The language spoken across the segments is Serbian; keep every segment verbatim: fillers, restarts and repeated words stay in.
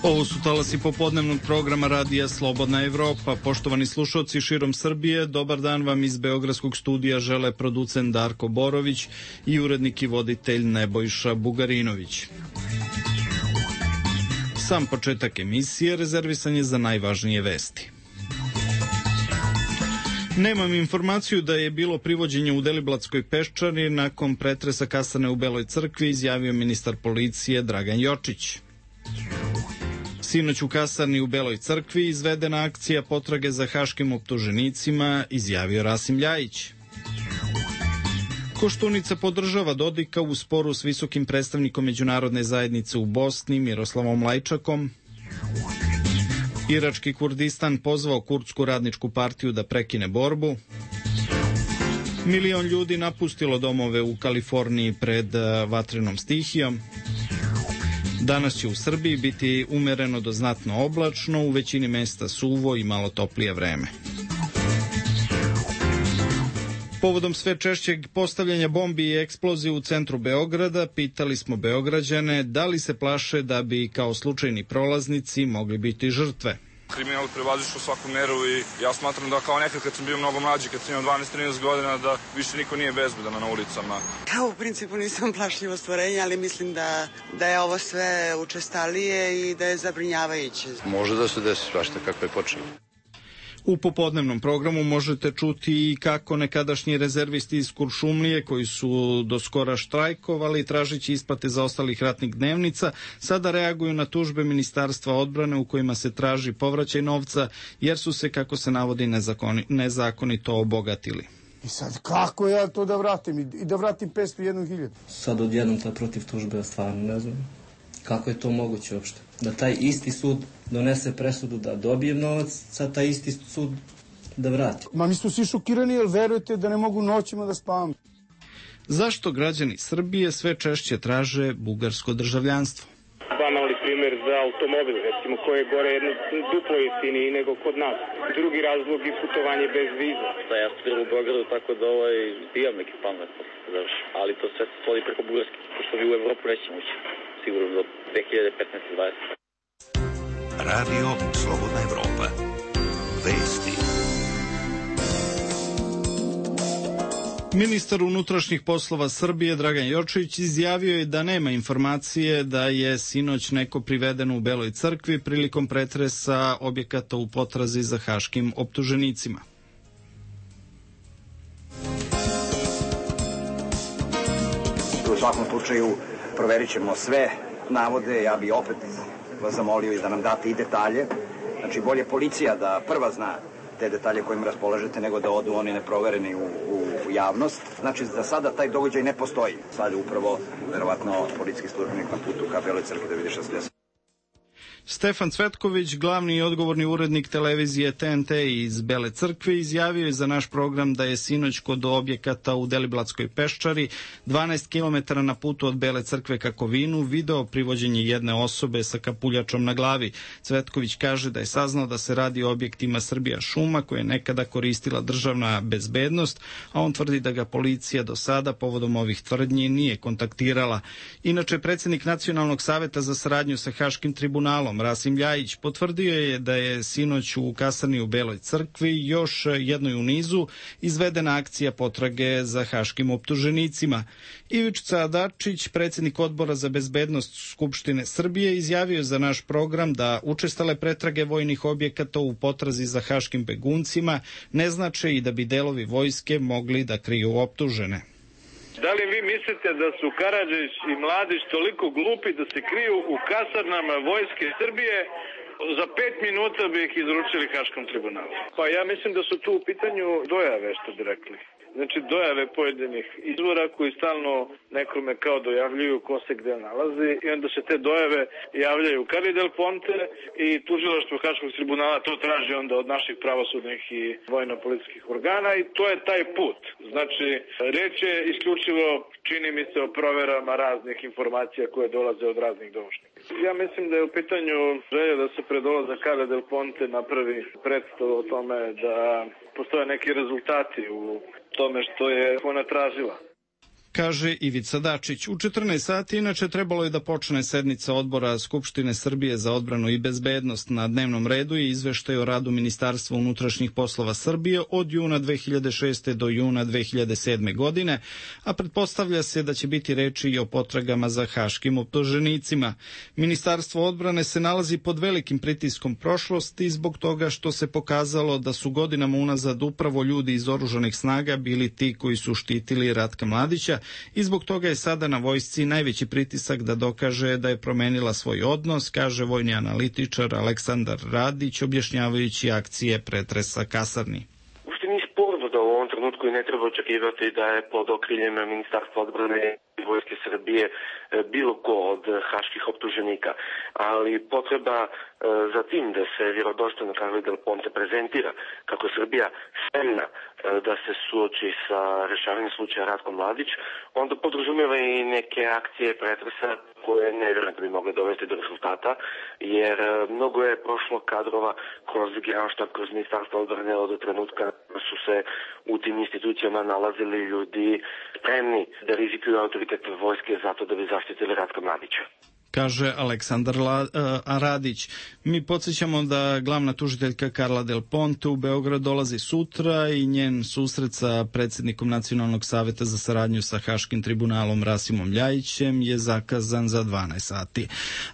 Ovo su talasi popodnevnog programa Radija Slobodna Evropa. Poštovani slušalci širom Srbije, dobar dan vam iz beogradskog studija žele producent Darko Borović i urednik i voditelj Nebojša Bugarinović. Sam početak emisije rezervisan je za najvažnije vesti. Nemam informaciju da je bilo privođenje u Deliblatskoj peščari nakon pretresa kasarne u Beloj crkvi, izjavio ministar policije Dragan Jočić. Sinoć u kasarni u Beloj crkvi izvedena akcija potrage za haškim optuženicima, izjavio Rasim Ljajić. Koštunica podržava Dodika u sporu s visokim predstavnikom međunarodne zajednice u Bosni, Miroslavom Lajčakom. Irački Kurdistan pozvao Kurdsku radničku partiju da prekine borbu. Milion ljudi napustilo domove u Kaliforniji pred vatrenom stihijom. Danas će u Srbiji biti umereno do znatno oblačno, u većini mesta suvo i malo toplije vreme. Povodom sve češćeg postavljanja bombi i eksplozije u centru Beograda, pitali smo Beograđane da li se plaše da bi kao slučajni prolaznici mogli biti žrtve. Kriminal prevazišao svaku meru i ja smatram da kao nekad kad sam bio mnogo mlađi, kad sam imao dvanaest trinaest godina, da više niko nije bezbedan na ulicama. Ja u principu nisam plašljivo stvorenje, ali mislim da, da je ovo sve učestalije i da je zabrinjavajuće. Može da se desi svašta kako je počelo. U popodnevnom programu možete čuti i kako nekadašnji rezervisti iz Kuršumlije, koji su do skora štrajkovali tražići isplate zaostalih ratnih dnevnica, sada reaguju na tužbe Ministarstva odbrane u kojima se traži povraćaj novca, jer su se, kako se navodi, nezakoni, nezakonito obogatili. I sad kako ja to da vratim i da vratim petsto jedan hiljadu? Sad odjednom ta protiv tužbe, stvarno ne znam kako je to moguće uopšte. Da taj isti sud donese presudu da dobijem novac, sad taj isti sud da vrati. Ma mi smo svi šokirani, jer verujete da ne mogu noćima da spavam. Zašto građani Srbije sve češće traže bugarsko državljanstvo? Banalni primjer za automobil, recimo, koje je gore jedno duplo jeftiniji nego kod nas. Drugi razlog je putovanje bez viza. Da, ja studiram u Beogradu, tako da ovaj, imam neki plan da završim, ali to sve svodi preko Bugarske, pošto vi u Evropu nećemo ući, sigurno do dve hiljade petnaeste dvadesete Radio Slobodna Evropa. Vesti. Ministar unutrašnjih poslova Srbije Dragan Jočić izjavio je da nema informacije da je sinoć neko priveden u Beloj crkvi prilikom pretresa objekata u potrazi za haškim optuženicima. U svakom slučaju proverit ćemo sve navode, ja bi opet vas zamolio i da nam date i detalje. Znači, bolje policija da prva zna te detalje kojim raspolažete nego da odu oni neprovereni u, u, u javnost. Znači, da sada taj događaj ne postoji. Sad je upravo, verovatno, policijski službenik na putu ka Beloj crkvi da vidi šta se desi. Stefan Cvetković, glavni i odgovorni urednik televizije T N T iz Bele crkve, izjavio je za naš program da je sinoć kod objekata u Deliblatskoj peščari, dvanaest kilometara na putu od Bele crkve ka Kovinu, video privođenje jedne osobe sa kapuljačom na glavi. Cvetković kaže da je saznao da se radi o objektima Srbija šuma, koje je nekada koristila državna bezbednost, a on tvrdi da ga policija do sada povodom ovih tvrdnji nije kontaktirala. Inače, predsjednik Nacionalnog saveta za saradnju sa Haškim tribunalom Rasim Ljajić potvrdio je da je sinoć u kasarni u Beloj crkvi još jednoj u nizu izvedena akcija potrage za haškim optuženicima. Ivica Dačić, predsjednik odbora za bezbednost Skupštine Srbije, izjavio za naš program da učestale pretrage vojnih objekata u potrazi za haškim beguncima ne znače i da bi delovi vojske mogli da kriju optužene. Da li vi mislite da su Karadžić i Mladić toliko glupi da se kriju u kasarnama Vojske Srbije? Za pet minuta bi ih izručili Haškom tribunalu. Pa ja mislim da su tu u pitanju dojave, što bi rekli. Znači dojave pojedinih izvora koji stalno nekome kao dojavljuju ko se gde nalazi i onda se te dojave javljaju Carli del Ponte i tužilaštvo Haškog tribunala to traži onda od naših pravosudnih i vojno-policijskih organa i to je taj put. Znači reč je isključivo, čini mi se, o proverama raznih informacija koje dolaze od raznih doušnika. Ja mislim da je u pitanju želja da se pred dolazak Carli del Ponte napravi predstav o tome da postoje neki rezultati u tome što je ona tražila. kaže Ivica Dačić. U četrnaest sati inače trebalo je da počne sednica odbora Skupštine Srbije za odbranu i bezbednost. Na dnevnom redu je izveštaj o radu Ministarstva unutrašnjih poslova Srbije od juna dve hiljade šeste. do juna dve hiljade sedme. godine, a pretpostavlja se da će biti reči i o potragama za haškim optuženicima. Ministarstvo odbrane se nalazi pod velikim pritiskom prošlosti zbog toga što se pokazalo da su godinama unazad upravo ljudi iz oružanih snaga bili ti koji su štitili Ratka Mladića i zbog toga je sada na vojsci najveći pritisak da dokaže da je promenila svoj odnos, kaže vojni analitičar Aleksandar Radić, objašnjavajući akcije pretresa kasarni. Ušte nije sporno da u ovom trenutku i ne treba očekivati da je pod okriljem Ministarstva odbrane i Vojske Srbije bilo ko od haških optuženika, ali potreba za tim da se vjerodostojno Carla Del Ponte prezentira kako Srbija spremna da se suoči sa rešavanjem slučaja Ratko Mladić, onda podrazumijeva i neke akcije pretresa koje ne vjerujem da bi mogle dovesti do rezultata, jer mnogo je prošlo kadrova kroz Generalštab, kroz Ministarstvo odbrane od trenutka su se u tim institucijama nalazili ljudi spremni da rizikuju autoritet vojske zato da bi zaštitili Ratka Mladića, kaže Aleksandar La, uh, Radić. Mi podsjećamo da glavna tužiteljka Carla Del Ponte u Beograd dolazi sutra i njen susret sa predsjednikom Nacionalnog saveta za saradnju sa Haškim tribunalom Rasimom Ljajićem je zakazan za dvanaest sati.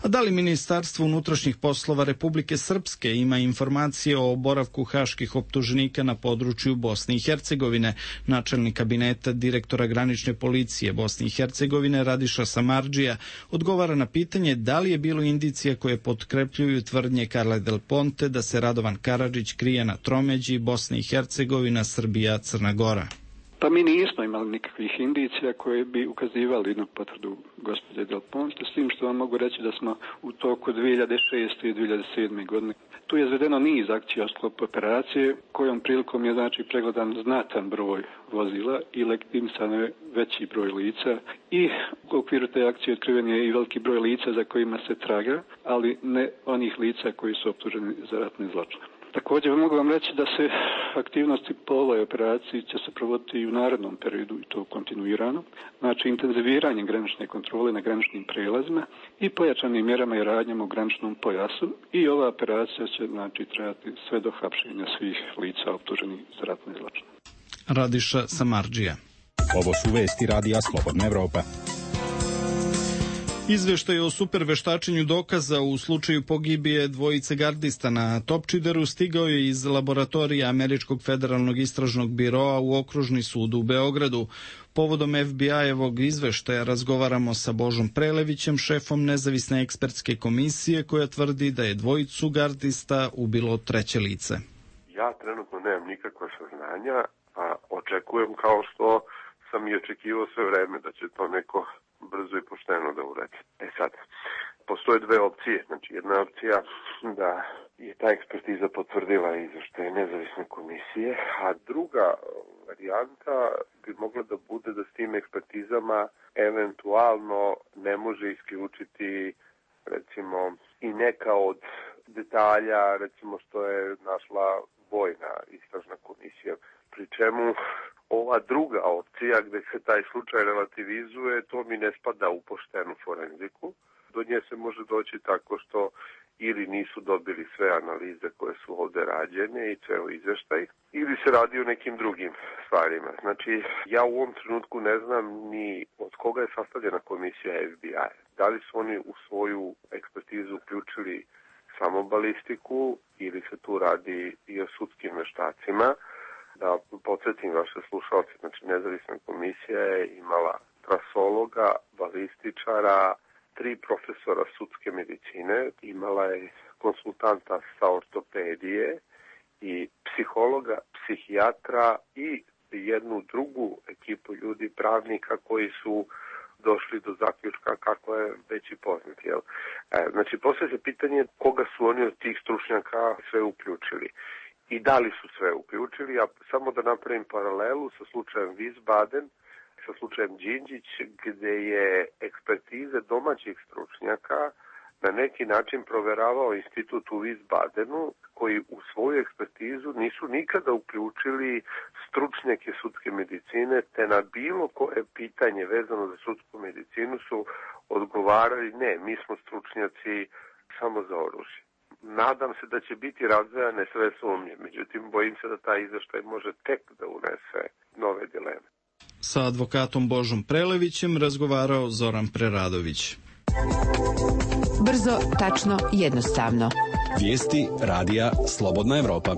A da li Ministarstvo unutrašnjih poslova Republike Srpske ima informacije o boravku haških optuženika na području Bosne i Hercegovine? Načelnik kabineta direktora granične policije Bosne i Hercegovine Radiša Samardžija odgovara na pitanje pitanje da li je bilo indicija koje potkrepljuju tvrdnje Carle Del Ponte da se Radovan Karadžić krije na tromeđi Bosna i Hercegovina, Srbija, Crna Gora. Pa mi nismo imali nikakvih indicija koje bi ukazivali na potvrdu gospođe Del Ponte, s tim što vam mogu reći da smo u toku dve hiljade šeste i dve hiljade sedme. godine. Tu je izvedeno niz akcija u sklopu operacije, kojom prilikom je znači pregledan znatan broj vozila i legitimisan je veći broj lica i u okviru te akcije otkriven je i veliki broj lica za kojima se traga, ali ne onih lica koji su optuženi za ratne zločine. Također mogu vam reći da se aktivnosti po ovoj operaciji će se provoditi i u narednom periodu i to kontinuirano. Znači intenziviranje granične kontrole na graničnim prelazima i pojačanim mjerama i radnjama u graničnom pojasu i ova operacija će znači trajati sve do hapšenja svih lica optuženih za ratne zločine. Radiša Samardžija. Ovo su vesti Radija Slobodna Evropa. Izveštaj o superveštačenju dokaza u slučaju pogibije dvojice gardista na Topčideru stigao je iz laboratorija Američkog federalnog istražnog biroa u Okružni sud u Beogradu. Povodom F B I-evog izveštaja razgovaramo sa Božom Prelevićem, šefom nezavisne ekspertske komisije, koja tvrdi da je dvojicu gardista ubilo treće lice. Ja trenutno nemam nikakva saznanja, a očekujem kao što sam i očekivao sve vreme da će to neko brzo i pošteno da uradi. E sad, postoje dve opcije. Znači, jedna opcija da je ta ekspertiza potvrdila izveštaje nezavisne komisije, a druga varijanta bi mogla da bude da s tim ekspertizama eventualno ne može isključiti recimo i neka od detalja, recimo što je našla vojna istražna komisija, pri čemu ova druga opcija gde se taj slučaj relativizuje, to mi ne spada u poštenu forenziku. Do nje se može doći tako što ili nisu dobili sve analize koje su ovde rađene i ceo izveštaj, ili se radi o nekim drugim stvarima. Znači, ja u ovom trenutku ne znam ni od koga je sastavljena komisija F B I. Da li su oni u svoju ekspertizu uključili samo balistiku ili se tu radi i o sudskim veštacima. Da podsjetim vaše slušalce, znači nezavisna komisija je imala trasologa, balističara, tri profesora sudske medicine, imala je konsultanta sa ortopedije i psihologa, psihijatra i jednu drugu ekipu ljudi, pravnika koji su došli do zaključka kako je već i poznat. Jel? Znači, poslije se pitanje koga su oni od tih stručnjaka sve uključili. I da li su sve uključili, a samo da napravim paralelu sa slučajem Wiesbaden, sa slučajem Đinđić, gde je ekspertize domaćih stručnjaka na neki način proveravao institut u Wiesbadenu, koji u svoju ekspertizu nisu nikada uključili stručnjake sudske medicine, te na bilo koje pitanje vezano za sudsku medicinu su odgovarali ne, mi smo stručnjaci samo za oružje. Nadam se da će biti razvejane sve sumnje, međutim bojim se da taj izveštaj može tek da unese nove dileme. Sa advokatom Božom Prelevićem razgovarao Zoran Preradović. Brzo, tačno, jednostavno. Vijesti radija Slobodna Evropa.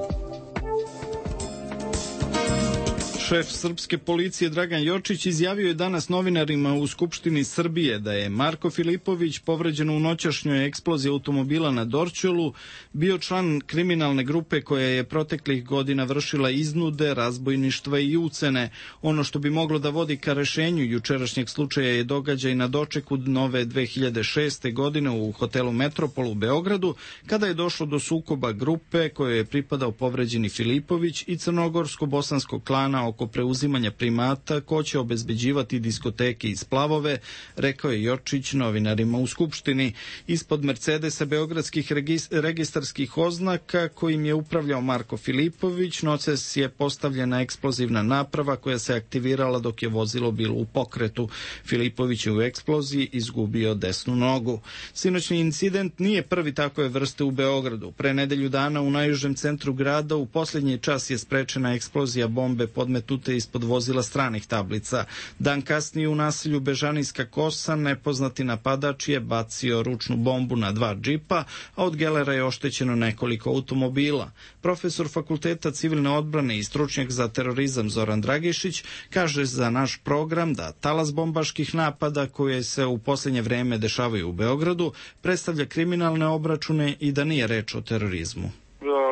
Šef srpske policije Dragan Jočić izjavio je danas novinarima u Skupštini Srbije da je Marko Filipović, povređen u noćašnjoj eksploziji automobila na Dorćolu, bio član kriminalne grupe koja je proteklih godina vršila iznude, razbojništva i ucene. Ono što bi moglo da vodi ka rešenju jučerašnjeg slučaja je događaj na dočeku nove dve hiljade šeste. godine u hotelu Metropol u Beogradu, kada je došlo do sukoba grupe kojoj je pripadao povređeni Filipović i crnogorsko-bosanskog klana oko preuzimanja primata ko će obezbeđivati diskoteke i splavove, rekao je Jočić novinarima u Skupštini. Ispod Mercedesa beogradskih registarskih oznaka kojim je upravljao Marko Filipović noćas je postavljena eksplozivna naprava koja se aktivirala dok je vozilo bilo u pokretu. Filipović je u eksploziji izgubio desnu nogu. Sinoćni incident nije prvi takve vrste u Beogradu. Pre nedelju dana u najužem centru grada u posljednji čas je sprečena eksplozija bombe podmetnute ispod vozila stranih tablica. Dan kasnije u naselju Bežanijska Kosa nepoznati napadač je bacio ručnu bombu na dva džipa, a od gelera je oštećeno nekoliko automobila. Profesor Fakulteta civilne odbrane i stručnjak za terorizam Zoran Dragišić kaže za naš program da talas bombaških napada koje se u posljednje vreme dešavaju u Beogradu predstavlja kriminalne obračune i da nije reč o terorizmu.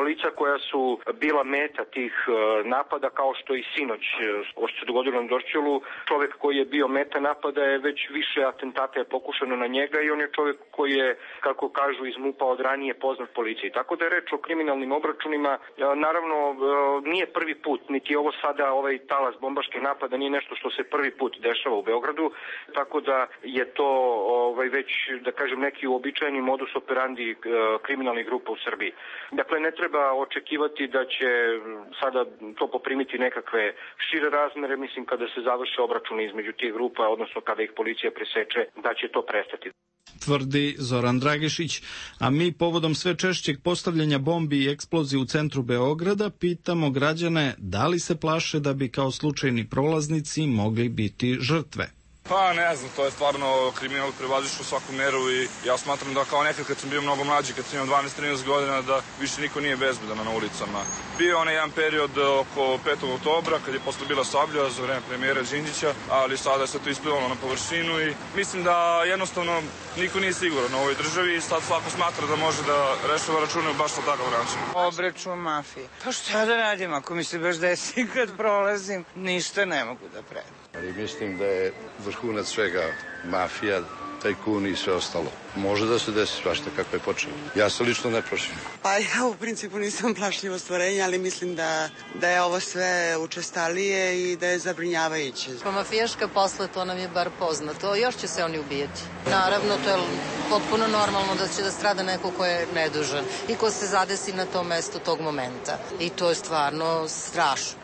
Lica koja su bila meta tih napada, kao što i sinoć, ovo što se dogodilo na Dorćolu, čovjek koji je bio meta napada je već više atentata je pokušano na njega i on je čovjek koji je, kako kažu iz MUP-a, od ranije poznat policiji. Tako da je reč o kriminalnim obračunima. Naravno, nije prvi put, niti ovo sada, ovaj talas bombaških napada nije nešto što se prvi put dešava u Beogradu, tako da je to ovaj, već, da kažem, neki uobičajeni modus operandi kriminalnih grupa u Srbiji. Dakle, ne treba očekivati da će sada to poprimiti nekakve šire razmere, mislim kada se završe obračune između tih grupa, odnosno kada ih policija preseče, da će to prestati. Tvrdi Zoran Dragišić, a mi povodom sve češćeg postavljanja bombi i eksplozije u centru Beograda pitamo građane da li se plaše da bi kao slučajni prolaznici mogli biti žrtve. Pa ne znam, to je stvarno kriminal prevazišao svaku meru i ja smatram da kao nekad kad sam bio mnogo mlađi, kad sam imao dvanaest trinaest godina, da više niko nije bezbedan na ulicama. Bio je onaj jedan period oko petog oktobra kad je posle bila Sablja za vreme premijera Đinđića, ali sada se to isplivalo na površinu i mislim da jednostavno niko nije siguran u ovoj državi i sad svako smatra da može da rešava račune baš na takav način. Obračun mafije. Pa šta da radim ako mi se baš desi kad prolazim, ništa ne mogu da predim. Ali mislim da je vrhunac svega mafija, tajkuni i sve ostalo. Može da se desi svašta kako je počelo. Ja se lično ne plašim. Pa ja u principu nisam plašljivo stvorenje, ali mislim da, da je ovo sve učestalije i da je zabrinjavajuće. Pa mafijaška posle, to nam je bar poznato. Još će se oni ubijeti. Naravno, to je potpuno normalno da će da strada neko ko je nedužan i ko se zadesi na tom mestu tog momenta. I to je stvarno strašno.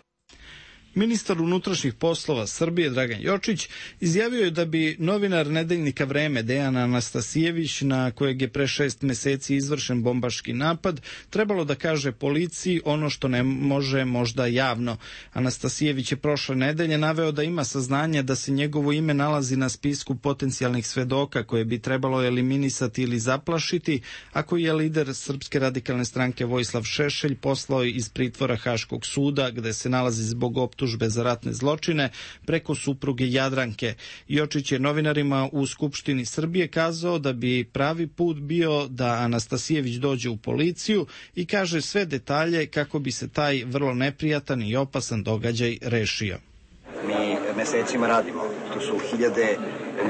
Ministar unutrašnjih poslova Srbije Dragan Jočić izjavio je da bi novinar nedeljnika Vreme Dejan Anastasijević, na kojeg je pre šest meseci izvršen bombaški napad, trebalo da kaže policiji ono što ne može možda javno. Anastasijević je prošle nedelje naveo da ima saznanje da se njegovo ime nalazi na spisku potencijalnih svedoka koje bi trebalo eliminisati ili zaplašiti ako je lider Srpske radikalne stranke Vojislav Šešelj poslao iz pritvora Haškog suda, gde se nalazi zbog optužbe za ratne zločine, preko supruge Jadranke. Jočić je novinarima u Skupštini Srbije kazao da bi pravi put bio da Anastasijević dođe u policiju i kaže sve detalje kako bi se taj vrlo neprijatan i opasan događaj rešio. Mi mesecima radimo. To su hiljade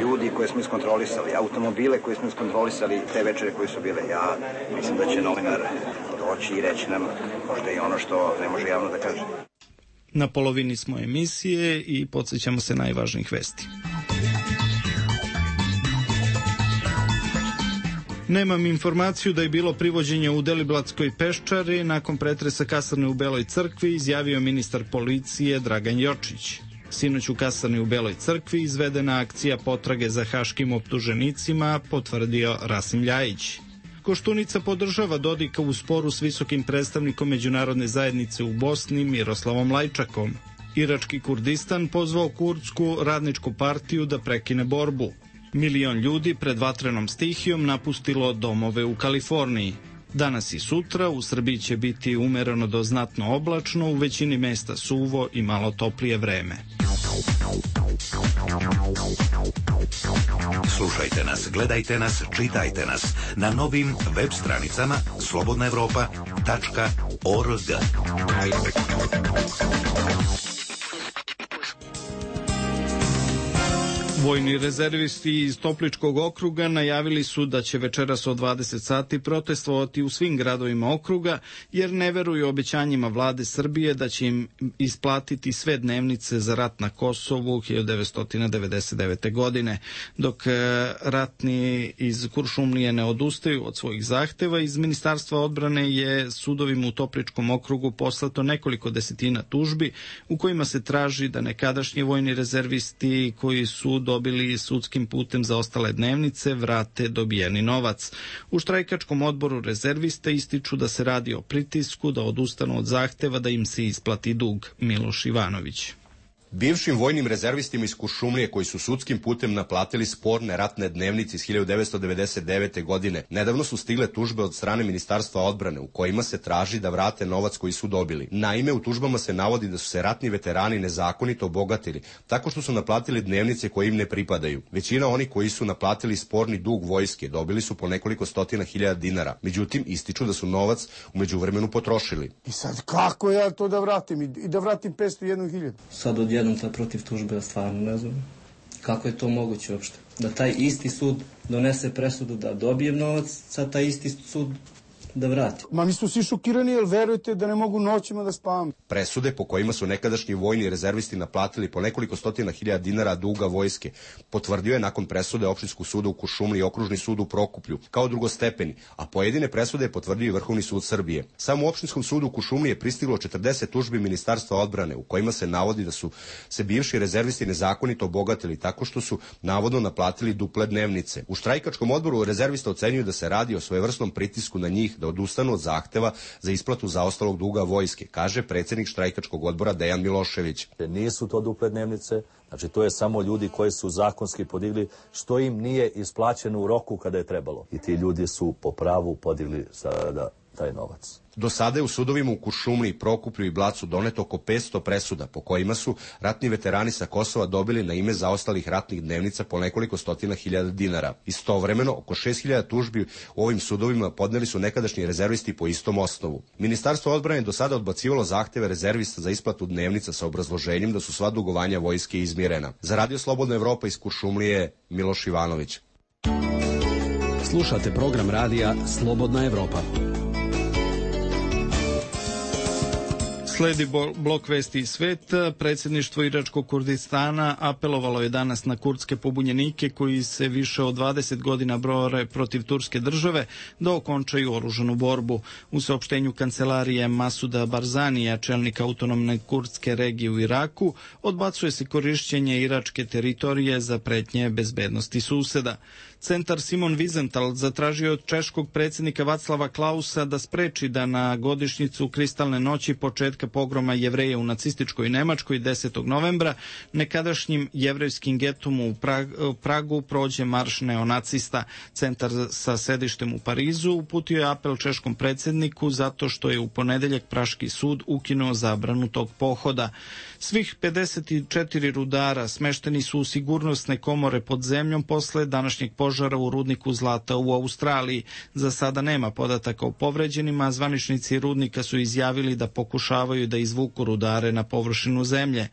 ljudi koje smo iskontrolisali, automobile koje smo iskontrolisali te večere koje su bile. Ja mislim da će novinar doći i reći nam možda i ono što ne može javno da kaže. Na polovini smo emisije i podsjećamo se najvažnijih vesti. Nemam informaciju da je bilo privođenja u Deliblatskoj peščari nakon pretresa kasarne u Beloj crkvi, izjavio ministar policije Dragan Jočić. Sinoć u kasarni u Beloj crkvi izvedena akcija potrage za haškim optuženicima, potvrdio Rasim Ljajić. Koštunica podržava Dodika u sporu s visokim predstavnikom međunarodne zajednice u Bosni Miroslavom Lajčakom. Irački Kurdistan pozvao kurdsku radničku partiju da prekine borbu. Milion ljudi pred vatrenom stihijom napustilo domove u Kaliforniji. Danas i sutra u Srbiji će biti umereno do znatno oblačno, u većini mesta suvo i malo toplije vreme. Slušajte nas, gledajte nas, čitajte nas na novim web stranicama slobodna evropa tačka org. Vojni rezervisti iz Topličkog okruga najavili su da će večeras od dvadeset sati protestovati u svim gradovima okruga, jer ne veruju obećanjima vlade Srbije da će im isplatiti sve dnevnice za rat na Kosovu hiljadu devetsto devedeset devete. godine. Dok ratni iz Kuršumlije ne odustaju od svojih zahteva, iz Ministarstva odbrane je sudovima u Topličkom okrugu poslato nekoliko desetina tužbi u kojima se traži da nekadašnji vojni rezervisti koji su do dobili sudskim putem za ostale dnevnice vrate dobijeni novac. U štrajkačkom odboru rezervista ističu da se radi o pritisku da odustanu od zahteva da im se isplati dug. Miloš Ivanović. Bivšim vojnim rezervistima iz Kuršumlije koji su sudskim putem naplatili sporne ratne dnevnice iz hiljadu devetsto devedeset devete. godine, nedavno su stigle tužbe od strane Ministarstva odbrane u kojima se traži da vrate novac koji su dobili. Naime, u tužbama se navodi da su se ratni veterani nezakonito obogatili tako što su naplatili dnevnice koje im ne pripadaju. Većina onih koji su naplatili sporni dug vojske dobili su po nekoliko stotina hiljada dinara. Međutim, ističu da su novac u međuvremenu potrošili. I sad kako ja to da vratim i da vratim petsto jedan hiljadu? Sad odjednom ta protiv tužbe, ja stvarno ne znam kako je to moguće uopšte. Da taj isti sud donese presudu da dobijem novac, sad taj isti sud da vrati. Ma mi smo svi šokirani, jer verujete da ne mogu noćima da spavam. Presude po kojima su nekadašnji vojni rezervisti naplatili po nekoliko stotina hiljada dinara duga vojske potvrdio je nakon presude Opštinskog suda u Kuršumliji i Okružni sud u Prokuplju kao drugostepeni, a pojedine presude je potvrdio i Vrhovni sud Srbije. Samo u Opštinskom sudu u Kuršumliji je pristiglo četrdeset tužbi Ministarstva odbrane u kojima se navodi da su se bivši rezervisti nezakonito obogatili tako što su navodno naplatili duple dnevnice. U štrajkačkom odboru rezervista ocenjuju da se radi o svojevrsnom pritisku na njih da odustanu od zahteva za isplatu zaostalog duga vojske, kaže predsjednik štrajkačkog odbora Dejan Milošević. Nisu to duple dnevnice, znači to je samo ljudi koji su zakonski podigli, što im nije isplaćeno u roku kada je trebalo. I ti ljudi su po pravu podigli sada taj novac. Do sada je u sudovima u Kuršumliji, Prokuplju i Blacu doneto oko petsto presuda po kojima su ratni veterani sa Kosova dobili na ime zaostalih ratnih dnevnica po nekoliko stotina hiljada dinara. Istovremeno, oko šest hiljada tužbi u ovim sudovima podneli su nekadašnji rezervisti po istom osnovu. Ministarstvo odbrane do sada odbacivalo zahteve rezervista za isplatu dnevnica sa obrazloženjem da su sva dugovanja vojske izmirena. Za Radio Slobodna Evropa iz Kuršumlije, Miloš Ivanović. Slušate program radija Slobodna Evropa. Sledi blok vesti iz sveta. Predsjedništvo Iračkog Kurdistana apelovalo je danas na kurdske pobunjenike koji se više od dvadeset godina bore protiv turske države da okončaju oružanu borbu. U saopštenju kancelarije Masuda Barzanija, čelnika autonomne kurdske regije u Iraku, odbacuje se korišćenje iračke teritorije za pretnje bezbednosti suseda. Centar Simon Wiesenthal zatražio od češkog predsjednika Vaclava Klausa da spreči da na godišnjicu Kristalne noći početka pogroma Jevreja u nacističkoj Nemačkoj desetog novembra nekadašnjim jevrejskim getom u Pragu prođe marš neonacista. Centar sa sedištem u Parizu uputio je apel češkom predsjedniku zato što je u ponedeljak Praški sud ukinuo zabranu tog pohoda. Svih pedeset četiri rudara smešteni su u sigurnosne komore pod zemljom posle današnjeg požara u rudniku zlata u Australiji. Za sada nema podataka o povređenima, a zvaničnici rudnika su izjavili da pokušavaju da izvuku rudare na površinu zemlje.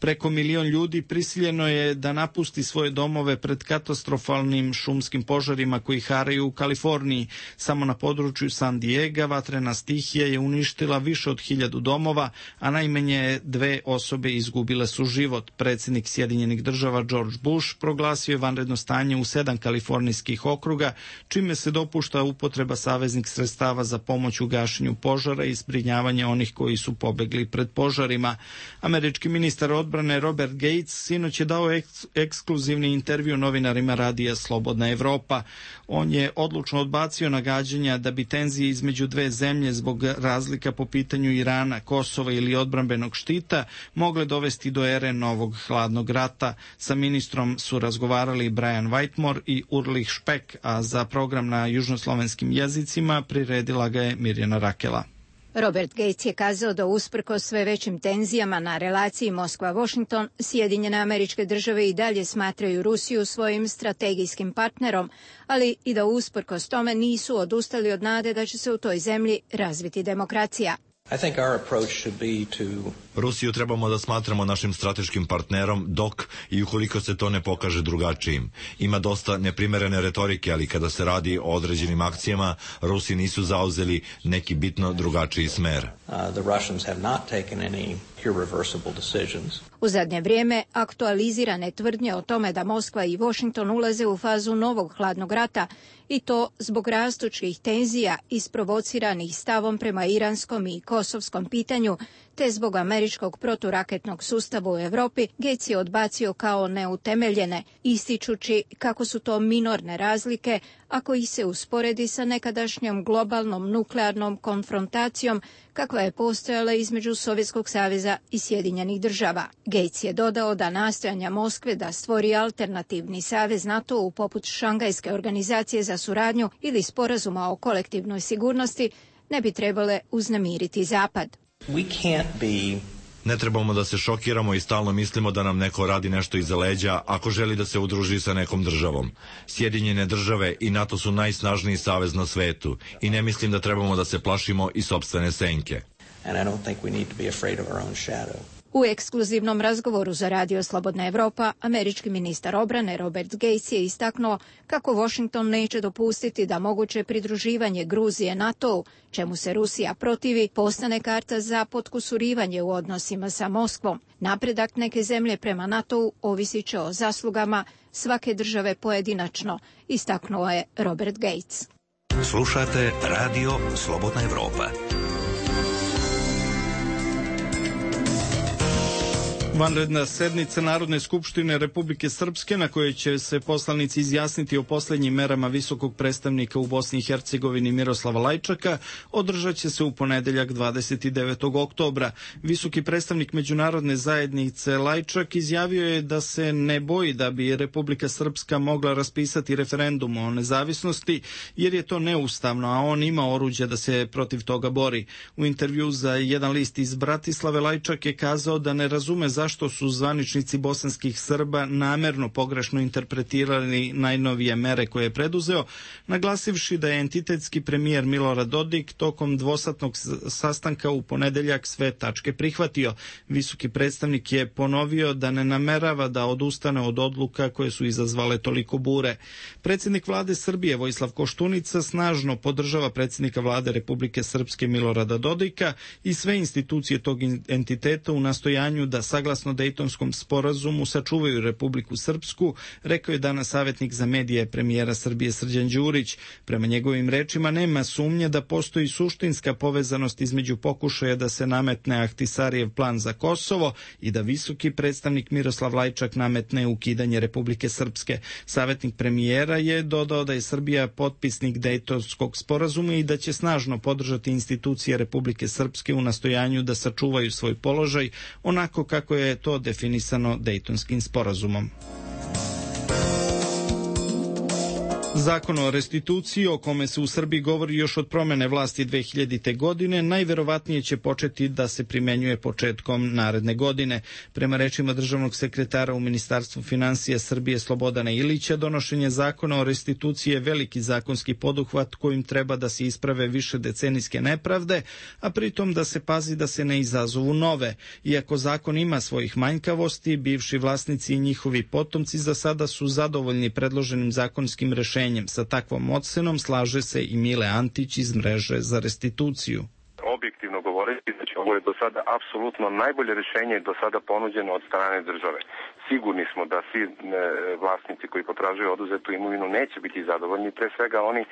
Preko milion ljudi prisiljeno je da napusti svoje domove pred katastrofalnim šumskim požarima koji haraju u Kaliforniji. Samo na području San Diega vatrena stihija je uništila više od hiljadu domova, a najmanje dve osobe izgubile su život. Predsjednik Sjedinjenih država George Bush proglasio je vanredno stanje u sedam kalifornijskih kalifornijskih okruga, čime se dopušta upotreba saveznih sredstava za pomoć u gašenju požara i zbrinjavanje onih koji su pobegli pred požarima. Američki ministar odbrane Robert Gates sinoć je dao eks- ekskluzivni intervju novinarima radija Slobodna Evropa. On je odlučno odbacio nagađanja da bi tenzije između dve zemlje zbog razlika po pitanju Irana, Kosova ili odbrambenog štita mogle dovesti do ere novog hladnog rata. Sa ministrom su razgovarali Brian Whitmore i Ulrich Speck, a za program na južnoslovenskim jezicima priredila ga je Mirjana Rakela. Robert Gates je kazao da usprkos sve većim tenzijama na relaciji Moskva-Washington, Sjedinjene Američke Države i dalje smatraju Rusiju svojim strategijskim partnerom, ali i da usprkos tome nisu odustali od nade da će se u toj zemlji razviti demokracija. I think our approach should be to Rusiju trebamo da smatramo našim strateškim partnerom dok i ukoliko se to ne pokaže drugačijim. Ima dosta neprimerene retorike, ali kada se radi o određenim akcijama, Rusi nisu zauzeli neki bitno drugačiji smer. uh, the Russians have not taken any irreversible decisions. U zadnje vrijeme aktualizirane tvrdnje o tome da Moskva i Washington ulaze u fazu novog hladnog rata i to zbog rastućih tenzija isprovociranih stavom prema iranskom i kosovskom pitanju, te zbog američkog proturaketnog sustava u Europi, Gates je odbacio kao neutemeljene, ističući kako su to minorne razlike ako ih se usporedi sa nekadašnjom globalnom nuklearnom konfrontacijom kakva je postojala između Sovjetskog saveza i Sjedinjenih država. Gates je dodao da nastojanja Moskve da stvori alternativni savez NATO-u poput Šangajske organizacije za suradnju ili sporazuma o kolektivnoj sigurnosti ne bi trebale uznemiriti Zapad. We can't be Ne trebamo da se šokiramo i stalno mislimo da nam neko radi nešto iza leđa ako želi da se udruži sa nekom državom. Sjedinjene države i NATO su najsnažniji savez na svetu i ne mislim da trebamo da se plašimo i sopstvene senke. and I don't think we need to be afraid of our own shadow. U ekskluzivnom razgovoru za Radio Slobodna Evropa, američki ministar obrane Robert Gates je istaknuo kako Washington neće dopustiti da moguće pridruživanje Gruzije NATO-u, čemu se Rusija protivi, postane karta za potkusurivanje u odnosima sa Moskvom. Napredak neke zemlje prema NATO-u ovisit će o zaslugama svake države pojedinačno, istaknuo je Robert Gates. Slušate Radio Slobodna Evropa. Vanredna sednica Narodne skupštine Republike Srpske, na kojoj će se poslanici izjasniti o poslednjim merama visokog predstavnika u Bosni i Hercegovini Miroslava Lajčaka, održat će se u ponedeljak dvadeset devetog oktobra. Visoki predstavnik međunarodne zajednice Lajčak izjavio je da se ne boji da bi Republika Srpska mogla raspisati referendum o nezavisnosti, jer je to neustavno, a on ima oruđe da se protiv toga bori. U intervju za jedan list iz Bratislave Lajčak je kazao da ne razume zašto zašto su zvaničnici bosanskih Srba namerno pogrešno interpretirali najnovije mere koje je preduzeo, naglasivši da je entitetski premijer Milorad Dodik tokom dvosatnog sastanka u ponedeljak sve tačke prihvatio. Visoki predstavnik je ponovio da ne namerava da odustane od odluka koje su izazvale toliko bure. Predsjednik vlade Srbije Vojislav Koštunica snažno podržava predsjednika vlade Republike Srpske Milorada Dodika i sve institucije tog entiteta u nastojanju da saglasno Dejtonskom sporazumu sačuvaju Republiku Srpsku, rekao je danas savjetnik za medije premijera Srbije Srđan Đurić. Prema njegovim rečima nema sumnje da postoji suštinska povezanost između pokušaja da se nametne Ahtisarijev plan za Kosovo i da visoki predstavnik Miroslav Lajčak nametne ukidanje Republike Srpske. Savjetnik premijera je dodao da je Srbija potpisnik Dejtonskog sporazuma i da će snažno podržati institucije Republike Srpske u nastojanju da sačuvaju svoj položaj onako kako je to definisano Dejtonskim sporazumom. Zakon o restituciji, o kome se u Srbiji govori još od promene vlasti dve hiljadite. godine, najverovatnije će početi da se primenjuje početkom naredne godine. Prema rečima državnog sekretara u Ministarstvu finansija Srbije Slobodana Ilića, donošenje zakona o restituciji je veliki zakonski poduhvat kojim treba da se isprave više decenijske nepravde, a pritom da se pazi da se ne izazovu nove. Iako zakon ima svojih manjkavosti, bivši vlasnici i njihovi potomci za sada su zadovoljni predloženim zakonskim rešenjem. Sa takvom ocenom slaže se i Mile Antić iz mreže za restituciju. Objektivno govoreći da će Ovo je do sada apsolutno najbolje rješenje do sada ponuđeno od strane države. Sigurni smo da svi vlasnici koji potražuju oduzetu imovinu neće biti zadovoljni, pre svega oni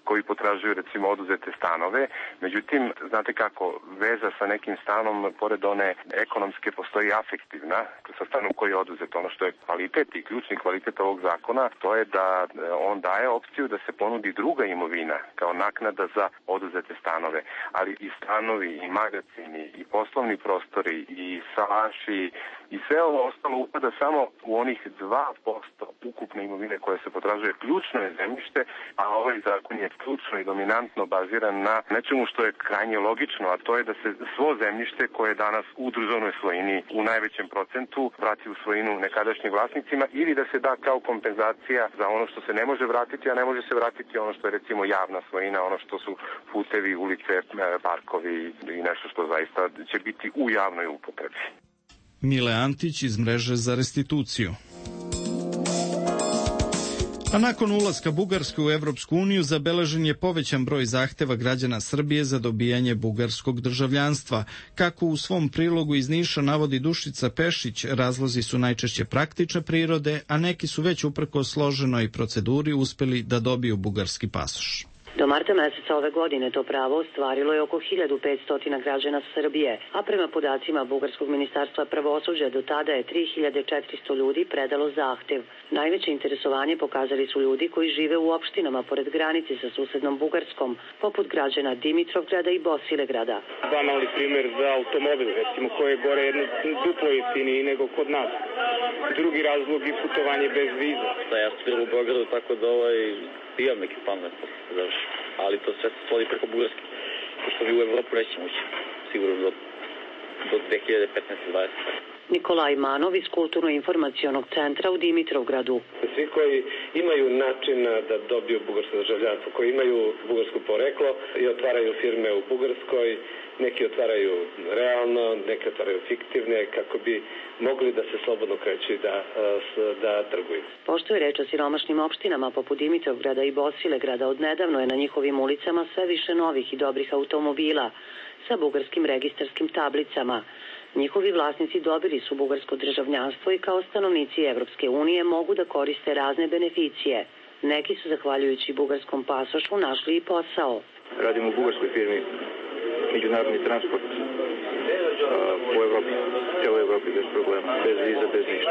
koji potražuju recimo oduzete stanove. Međutim, znate kako, veza sa nekim stanom, pored one ekonomske, postoji afektivna sa stanom koji je oduzet. Ono što je kvalitet i ključni kvalitet ovog zakona, to je da on daje opciju da se ponudi druga imovina kao naknada za oduzete stanove. Ali i stanovi, i magacini, i poslovni prostori, i salaši, i sve ovo ostalo upada samo u onih dva posto ukupne imovine koje se potražuje. Ključno je zemljište, a ovaj zakon je ključno i dominantno baziran na nečemu što je krajnje logično, a to je da se svo zemljište koje je danas u državnoj svojini u najvećem procentu vrati u svojinu nekadašnjim vlasnicima ili da se da kao kompenzacija za ono što se ne može vratiti, a ne može se vratiti ono što je recimo javna svojina, ono što su putevi, ulice, parkovi i nešto što zaista će biti u javnoj upotrebi. Mile Antić iz Mreže za restituciju. A nakon ulaska Bugarske u Evropsku uniju zabeležen je povećan broj zahteva građana Srbije za dobijanje bugarskog državljanstva. Kako u svom prilogu iz Niša navodi Dušica Pešić, razlozi su najčešće praktične prirode, a neki su već uprkos složenoj proceduri uspeli da dobiju bugarski pasoš. Do marta meseca ove godine to pravo ostvarilo je oko hiljadu petsto građana Srbije, a prema podacima Bugarskog ministarstva pravosuđa do tada je tri hiljade četiristo ljudi predalo zahtev. Najveće interesovanje pokazali su ljudi koji žive u opštinama pored granice sa susednom Bugarskom, poput građana Dimitrovgrada i Bosilegrada. Banalni primjer za automobil, recimo, koji je gore jedno duplo jeftiniji nego kod nas. Drugi razlog je putovanje bez viza. Da, ja studiram u Beogradu, tako da ovaj... imam neki pamet, ali to sve se svodi preko Bugarske, pošto bi u Evropu nećemo ući, sigurno do, do dve hiljade petnaeste dvadesete Nikolaj Manov iz Kulturno-informacionog centra u Dimitrovgradu. Svi koji imaju način da dobiju bugarsko državljanstvo, koji imaju bugarsko poreklo i otvaraju firme u Bugarskoj, neki otvaraju realno, neki otvaraju fiktivne, kako bi mogli da se slobodno kreću i da, da trguju. Pošto je reč o siromašnim opštinama poput Dimitrovgrada i Bosilegrada, odnedavno je na njihovim ulicama sve više novih i dobrih automobila sa bugarskim registarskim tablicama. Njihovi vlasnici dobili su bugarsko državljanstvo i kao stanovnici Evropske unije mogu da koriste razne beneficije. Neki su, zahvaljujući bugarskom pasošu, našli i posao. Radim u bugarskoj firmi, međunarodni transport u Evropi, cijeloj Evropi bez problema, bez viza, bez ništa.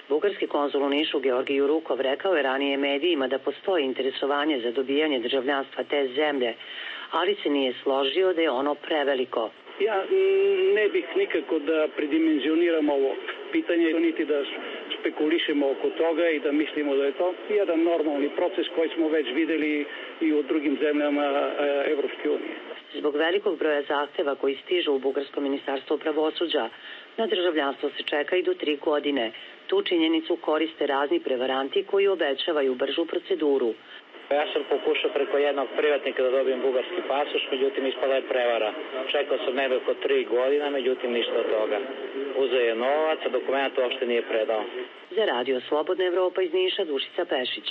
Bugarski konzul u Nišu Georgij Jurukov rekao je ranije medijima da postoji interesovanje za dobijanje državljanstva te zemlje, ali se nije složio da je ono preveliko. Ja ne bih nikako da predimenzioniram ovo pitanje, niti da spekulišemo oko toga i da mislimo da je to jedan normalni proces koji smo već videli i u drugim zemljama Evropske unije. Zbog velikog broja zahteva koji stižu u Bugarsko ministarstvo pravosuđa, na državljanstvo se čeka i do tri godine. Tu činjenicu koriste razni prevaranti koji obećavaju bržu proceduru. Ja sam pokušao preko jednog privatnika da dobijem bugarski pasoš, međutim ispala je prevara. Čekao sam nego oko tri godina, međutim ništa od toga. Uzeo je novac, a dokument uopšte nije predao. Za Radio Slobodna Evropa iz Niša, Dušica Pešić.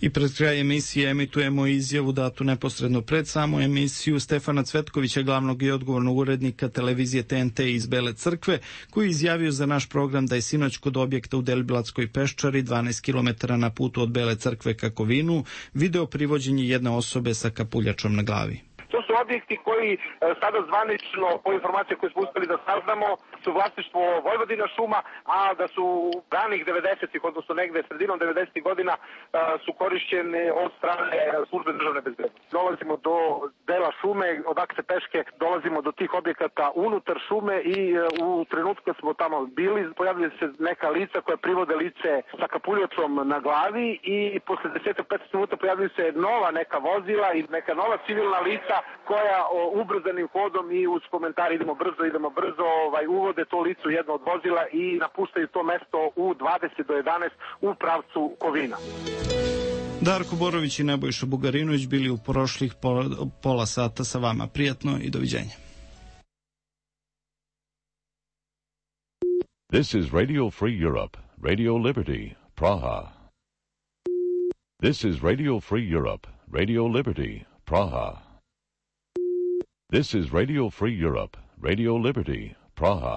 I pred kraj emisije emitujemo izjavu datu neposredno pred samu emisiju Stefana Cvetkovića, glavnog i odgovornog urednika televizije T N T iz Bele Crkve, koji je izjavio za naš program da je sinoć kod objekta u Deliblatskoj Peščari, dvanaest kilometara na putu od Bele Crkve ka Kovinu, video privođenje jedne osobe sa kapuljačom na glavi. To su objekti koji sada zvanično, po informacije koje smo uspeli da saznamo, su vlasništvo Vojvodina šuma, a da su ranih devedesetih, odnosno negde sredinom devedesetih godina, su korišćene od strane službe državne bezbednosti. Dolazimo do dela šume, odakle peške dolazimo do tih objekata unutar šume i u trenutku smo tamo bili, pojavili se neka lica koja privode lice sa kapuljačom na glavi i posle deset do petnaest minuta pojavili se nova neka vozila i neka nova civilna lica koja o, ubrzanim hodom i uz komentar idemo brzo, idemo brzo, ovaj, uvode to licu jedno od vozila i napuštaju to mesto u dvadeset do jedanaest u pravcu Kovina. Darko Borović i Nebojša Bugarinović bili u prošlih pola, pola sata sa vama. Prijatno i doviđenja. This is Radio Free Europe, Radio Liberty, Praha. This is Radio Free Europe, Radio Liberty, Praha. This is Radio Free Europe, Radio Liberty, Praha.